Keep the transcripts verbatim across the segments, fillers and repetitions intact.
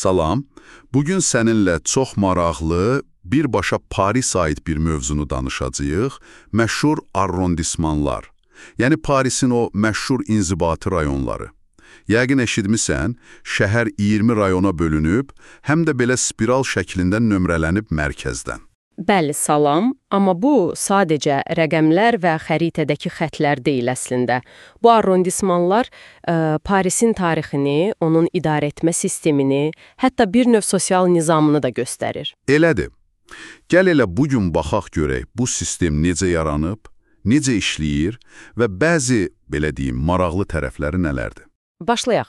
Salam, bugün səninlə çox maraqlı, birbaşa Paris ait bir mövzunu danışacağıq, məşhur arrondismanlar. Yəni Parisin o məşhur inzibati rayonları. Yəqin eşitmisən, şəhər iyirmi rayona bölünüb, həm də belə spiral şəklində nömrələnib mərkəzdən. Bəli, salam, amma bu sadəcə rəqəmlər və xəritədəki xətlər deyil əslində. Bu arrondismanlar ə, Parisin tarixini, onun idarə etmə sistemini, hətta bir növ sosial nizamını da göstərir. Elədir. Gəl elə bugün baxaq görək, bu sistem necə yaranıb, necə işləyir və bəzi, belə deyim, maraqlı tərəfləri nələrdir? Başlayaq.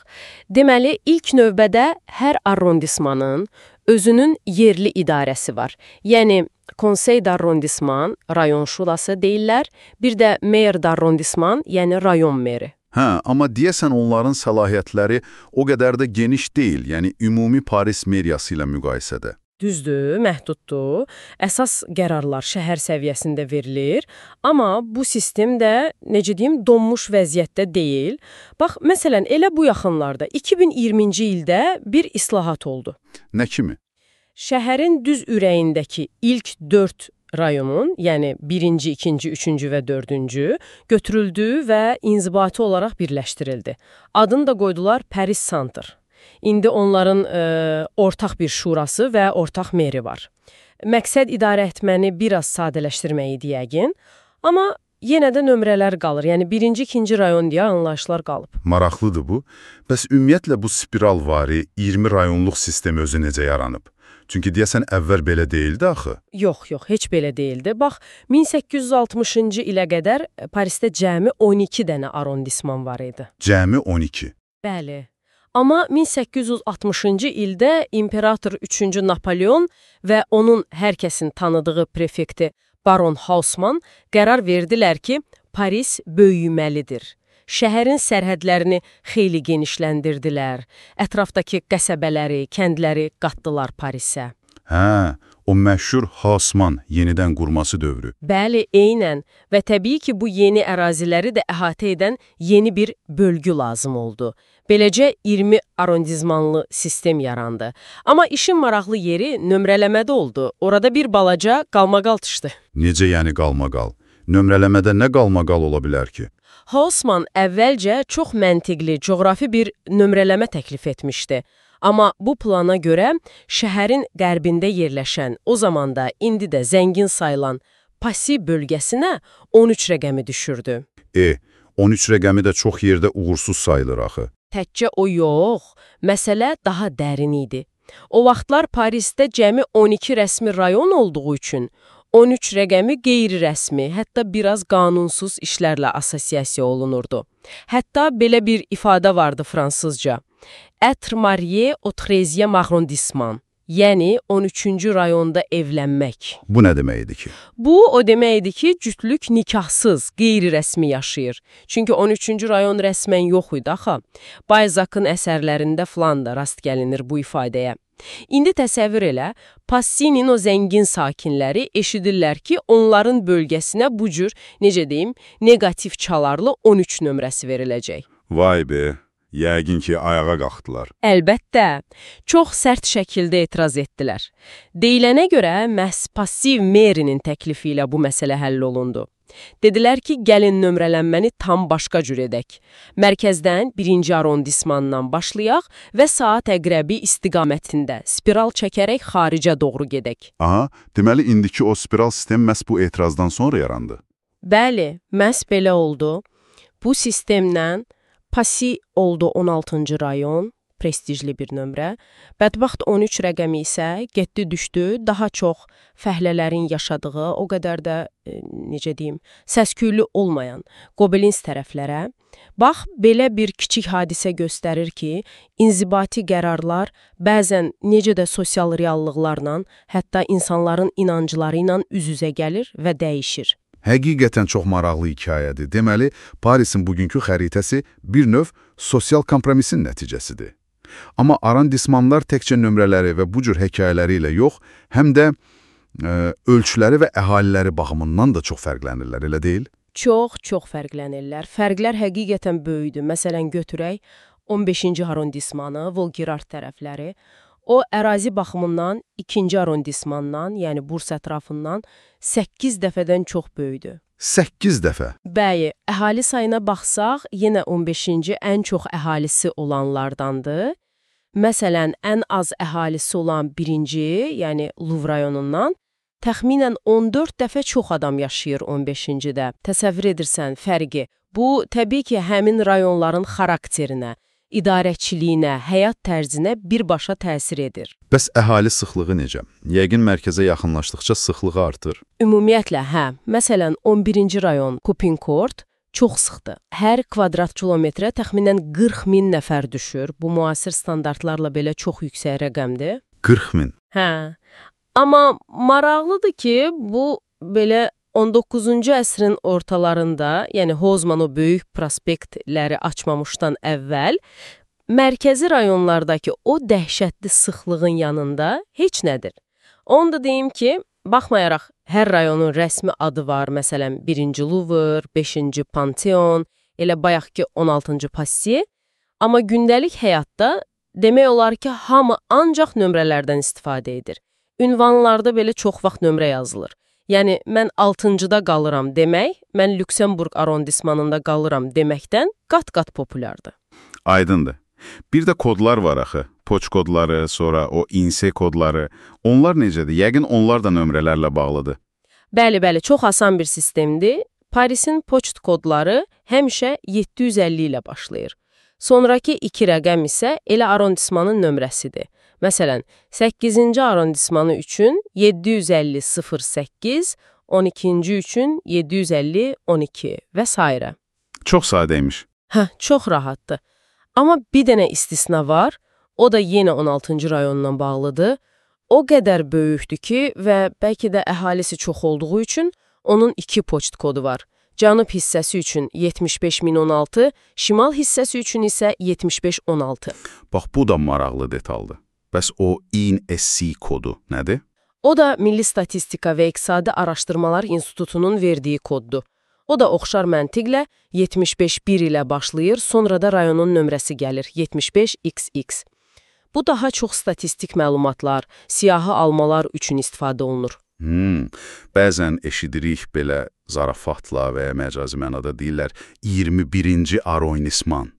Deməli, ilk növbədə hər arrondismanın özünün yerli idarəsi var. Yəni, konsey d'arrondisman, rayon şurası deyirlər, bir də mayor d'arrondisman, yəni rayon meri. Hə, amma deyəsən onların səlahiyyətləri o qədər də geniş deyil, yəni ümumi Paris meriyası ilə müqayisədə. Düzdür, məhduddur. Əsas qərarlar şəhər səviyyəsində verilir, amma bu sistem də, necə deyim, donmuş vəziyyətdə deyil. Bax, məsələn, elə bu yaxınlarda iki min iyirminci ildə bir islahat oldu. Nə kimi? Şəhərin düz ürəyindəki ilk dörd rayonun, yəni birinci, ikinci, üçüncü və dördüncü götürüldü və inzibati olaraq birləşdirildi. Adını da qoydular Paris Center. İndi onların e, ortaq bir şurası və ortaq meri var. Məqsəd idarə etməni biraz sadələşdirmək idi yəqin, amma yenə də nömrələr qalır. Yəni birinci, ikinci rayon deyə anlayışlar qalıb. Maraqlıdır bu. Bəs ümumiyyətlə bu spiralvari iyirmi rayonluq sistem özü necə yaranıb? Çünki deyəsən əvvəl belə deyildi axı. Yox, yox, heç belə deyildi. Bax, min səkkiz yüz altmışıncı ilə qədər Parisdə cəmi on iki dənə arrondisman var idi. Cəmi on iki? Bəli. Amma min səkkiz yüz altmışıncı ildə imperator üçüncü Napoleon və onun hər kəsin tanıdığı prefekti Baron Haussmann qərar verdilər ki, Paris böyüməlidir. Şəhərin sərhədlərini xeyli genişləndirdilər, ətrafdakı qəsəbələri, kəndləri qatdılar Parisə. Hə, o məşhur Haussmann yenidən qurması dövrü. Bəli, eynən və təbii ki, bu yeni əraziləri də əhatə edən yeni bir bölgü lazım oldu. Beləcə iyirmi arrondismanlı sistem yarandı. Amma işin maraqlı yeri nömrələmədə oldu. Orada bir balaca qalmaqal çıxdı. Necə yəni qalmaqal? Nömrələmədə nə qalmaqal ola bilər ki? Haussmann əvvəlcə çox məntiqli, coğrafi bir nömrələmə təklif etmişdi. Amma bu plana görə şəhərin qərbində yerləşən, o zamanda indi də zəngin sayılan Passy bölgəsinə on üç rəqəmi düşürdü. E, on üç rəqəmi də çox yerdə uğursuz sayılır axı. Təkcə o yox, məsələ daha dərin idi. O vaxtlar Parisdə cəmi on iki rəsmi rayon olduğu üçün on üç rəqəmi qeyri-rəsmi, hətta biraz qanunsuz işlərlə assosiasiya olunurdu. Hətta belə bir ifadə vardı fransızca. Être marié au treizième arrondissement. Yəni on üçüncü rayonda evlənmək. Bu nə deməkdir ki? Bu o deməkdir ki, cütlük nikahsız, qeyri-rəsmi yaşayır. Çünki on üçüncü rayon rəsmən yox idi axı. Balzac'ın əsərlərində falan da rast gəlinir bu ifadəyə. İndi təsəvvür elə, Passy'nin o zəngin sakinləri eşidirlər ki, onların bölgəsinə bu cür, necə deyim, negativ çalarlı on üç nömrəsi veriləcək. Vay be! Yəqin ki, ayağa qalxdılar. Əlbəttə, çox sərt şəkildə etiraz etdilər. Deyilənə görə, məhz passiv merinin təklifi ilə bu məsələ həll olundu. Dedilər ki, gəlin nömrələnməni tam başqa cür edək. Mərkəzdən birinci arrondismandan başlayaq və saat əqrəbi istiqamətində spiral çəkərək xaricə doğru gedək. Aha, deməli indiki o spiral sistem məhz bu etirazdan sonra yarandı. Bəli, məhz belə oldu. Bu sistemlə Passy oldu on altıncı rayon, prestijli bir nömrə. Bədbəxt on üç rəqəmi isə getdi düşdü, daha çox fəhlələrin yaşadığı, o qədər də, e, necə deyim, səsküylü olmayan Gobelins tərəflərə. Bax, belə bir kiçik hadisə göstərir ki, inzibati qərarlar bəzən necə də sosial reallıqlarla, hətta insanların inancları ilə üz-üzə gəlir və dəyişir. Həqiqətən çox maraqlı hekayədir. Deməli, Parisin bugünkü xəritəsi bir növ sosial kompromisin nəticəsidir. Amma arrondismanlar təkcə nömrələri və bu cür hekayələri ilə yox, həm də e, ölçüləri və əhaliləri baxımından da çox fərqlənirlər, elə deyil? Çox, çox fərqlənirlər. Fərqlər həqiqətən böyükdür. Məsələn, götürək on beşinci arrondismanı, Volgirard tərəfləri. O, ərazi baxımından ikinci arrondismandan, yəni Bursa ətrafından səkkiz dəfədən çox böyükdür. səkkiz dəfə. Bəli, əhali sayına baxsaq, yenə on beşinci ən çox əhalisi olanlardandır. Məsələn, ən az əhalisi olan birinci, yəni Luv rayonundan təxminən on dörd dəfə çox adam yaşayır on beşincidə. Təsəvvür edirsən fərqi. Bu, təbii ki, həmin rayonların xarakterinə, idarəçiliyinə, həyat tərzinə birbaşa təsir edir. Bəs əhali sıxlığı necə? Yəqin mərkəzə yaxınlaşdıqca sıxlığı artır. Ümumiyyətlə, hə. Məsələn, on birinci rayon Kupinkort çox sıxdır. Hər kvadrat kilometrə təxminən qırx min nəfər düşür. Bu, müasir standartlarla belə çox yüksək rəqəmdir. qırx min. Hə. Amma maraqlıdır ki, bu belə on doqquzuncu əsrin ortalarında, yəni Hozman o böyük prospektləri açmamışdan əvvəl, mərkəzi rayonlardakı o dəhşətli sıxlığın yanında heç nədir. Onu da deyim ki, baxmayaraq hər rayonun rəsmi adı var, məsələn, birinci Luvr, beşinci Panteon, elə bayaqki on altıncı Passi, amma gündəlik həyatda demək olar ki, hamı ancaq nömrələrdən istifadə edir. Ünvanlarda belə çox vaxt nömrə yazılır. Yəni, mən altıncıda qalıram demək, mən Lüksemburg arrondismanında qalıram deməkdən qat-qat populyardır. Aydındır. Bir də kodlar var axı. Poç kodları, sonra o inse kodları. Onlar necədir? Yəqin onlar da nömrələrlə bağlıdır. Bəli, bəli, çox asan bir sistemdir. Parisin poçt kodları həmişə yeddi yüz əlli ilə başlayır. Sonrakı iki rəqəm isə elə arrondismanın nömrəsidir. Məsələn, səkkizinci arrondismanı üçün yeddi yüz əlli sıfır səkkiz, on ikinci üçün yeddi yüz əlli on iki və s. Çox sadəymiş. Hə, çox rahatdır. Amma bir dənə istisna var, o da yenə on altıncı rayonla bağlıdır. O qədər böyükdür ki və bəlkə də əhalisi çox olduğu üçün onun iki poçt kodu var. Cənub hissəsi üçün yetmiş beş min on altı, şimal hissəsi üçün isə yetmiş beş on altı. Bax, bu da maraqlı detaldır. Bəs o I N S C kodu nədir? O da Milli Statistika və İqtisadi Araşdırmalar İnstitutunun verdiyi koddur. O da oxşar məntiqlə yetmiş beş bir ilə başlayır, sonra da rayonun nömrəsi gəlir, yetmiş beş X X. Bu daha çox statistik məlumatlar, siyahı almalar üçün istifadə olunur. Hmm, bəzən eşidirik belə zarafatla və ya məcazi mənada deyirlər iyirmi birinci arrondisman.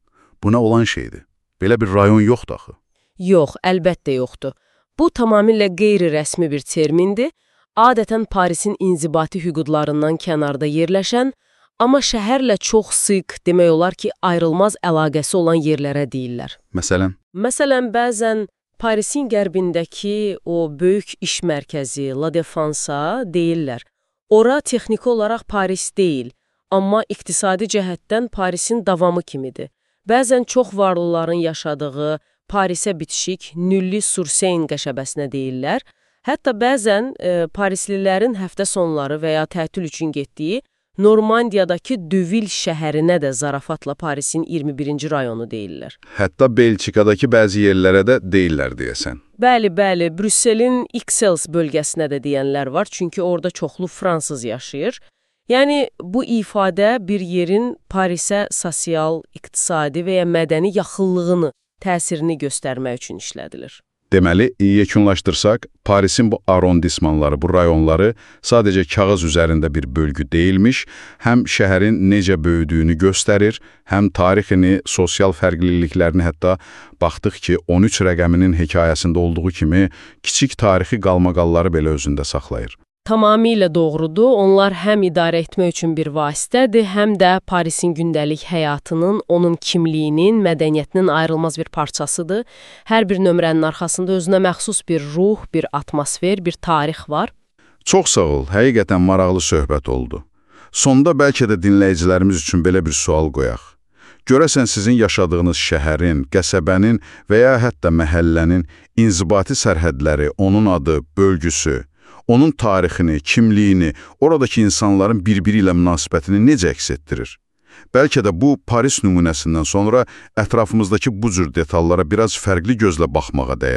Bu nə olan şeydir? Belə bir rayon yoxdur axı. Yox, əlbəttə yoxdur. Bu tamamilə qeyri-rəsmi bir termindir. Adətən Parisin inzibati hüquqlarından kənarda yerləşən, amma şəhərlə çox sıx, demək olar ki, ayrılmaz əlaqəsi olan yerlərə deyirlər. Məsələn? Məsələn, bəzən Parisin qərbindəki o böyük iş mərkəzi, La Défense-a deyirlər. Ora texniki olaraq Paris deyil, amma iqtisadi cəhətdən Parisin davamı kimidir. Bəzən çox varlıların yaşadığı Parisə bitişik Nülli-sur-Seine qəşəbəsinə deyirlər. Hətta bəzən e, Parislilərin həftə sonları və ya tətil üçün getdiyi Normandiyadakı Dövil şəhərinə də zarafatla Parisin iyirmi birinci rayonu deyirlər. Hətta Belçikadakı bəzi yerlərə də deyirlər deyəsən. Bəli, bəli, Brüsselin Ixelles bölgəsinə də deyənlər var, çünki orada çoxlu fransız yaşayır. Yəni, bu ifadə bir yerin Parisə sosial, iqtisadi və ya mədəni yaxınlığını, təsirini göstərmək üçün işlədilir. Deməli, yekunlaşdırsaq, Parisin bu arrondismanları, bu rayonları sadəcə kağız üzərində bir bölgü deyilmiş, həm şəhərin necə böyüdüyünü göstərir, həm tarixini, sosial fərqliliklərini, hətta baxdıq ki, on üç rəqəminin hekayəsində olduğu kimi kiçik tarixi qalmaqalları belə özündə saxlayır. Tamamilə doğrudur. Onlar həm idarə etmək üçün bir vasitədir, həm də Parisin gündəlik həyatının, onun kimliyinin, mədəniyyətinin ayrılmaz bir parçasıdır. Hər bir nömrənin arxasında özünə məxsus bir ruh, bir atmosfer, bir tarix var. Çox sağ ol, həqiqətən maraqlı söhbət oldu. Sonda bəlkə də dinləyicilərimiz üçün belə bir sual qoyaq. Görəsən sizin yaşadığınız şəhərin, qəsəbənin və ya hətta məhəllənin inzibati sərhədləri, onun adı, bölgüsü, onun tarixini, kimliyini, oradakı insanların bir-biri ilə münasibətini necə əks etdirir? Bəlkə də bu, Paris nümunəsindən sonra ətrafımızdakı bu cür detallara biraz fərqli gözlə baxmağa dəyər.